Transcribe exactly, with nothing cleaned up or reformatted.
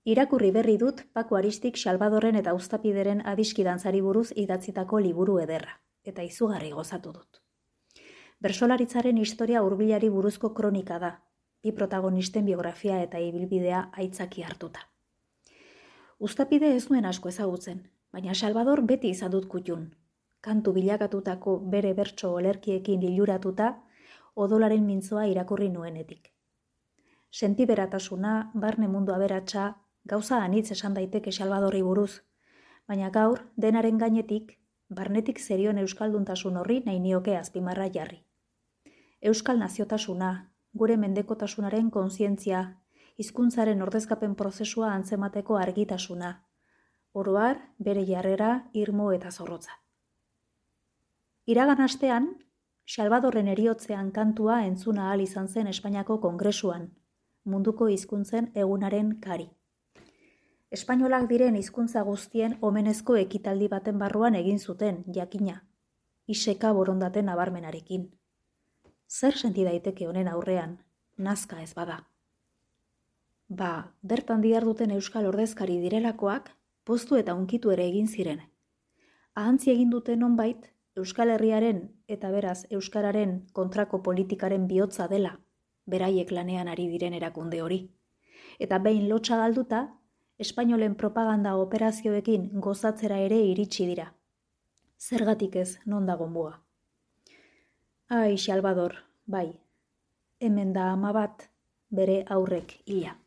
Irakurri berri dut Paco Aristik Salvadorren eta Uztapideren adiskidantzari buruz idatzitako liburu ederra, eta izugarri gozatu dut. Bersolaritzaren historia hurbilari buruzko kronika da, bi protagonisten biografia eta ibilbidea aitzaki hartuta. Uztapide ez nuen asko ezagutzen, baina Salvador beti izan dut kutun. Kantu bilakatutako bere bertso olerkiekin liluratuta, odolaren mintzoa irakurri nuenetik. Sentiberatasuna, barne mundu aberatsa, gauza anitz esan daiteke Salvadorri buruz, baina gaur denaren gainetik, barnetik zerion euskalduntasun horri nahi nioke azpimarra jarri. Euskal naziotasuna, gure mendekotasunaren kontzientzia, hizkuntzaren ordezkapen prozesua antzemateko argitasuna, oro har, bere jarrera, irmo eta zorrotza. Iragan astean, Salvadorren eriotzean kantua entzuna ahal izan zen Espainiako Kongresuan, munduko hizkuntzen egunaren kari. Espainolak diren hizkuntza guztien omenezko ekitaldi baten barruan egin zuten, jakina, iseka borondate nabarmenarekin. Zer senti daiteke honen aurrean, nazka ez bada. Ba, bertan diharduten euskal ordezkari direlakoak, poztu eta unkitu ere egin ziren. Ahantzi egin dute nonbait, Euskal Herriaren eta beraz euskararen kontrako politikaren bihotza dela, beraiek lanean ari diren erakunde hori. Eta behin lotsa galduta, espainolen propaganda operazioekin gozatzera ere iritsi dira. Zergatik ez, non dago mua. Ai, Salvador, bai, hemen da ama bat, bere aurrek hila.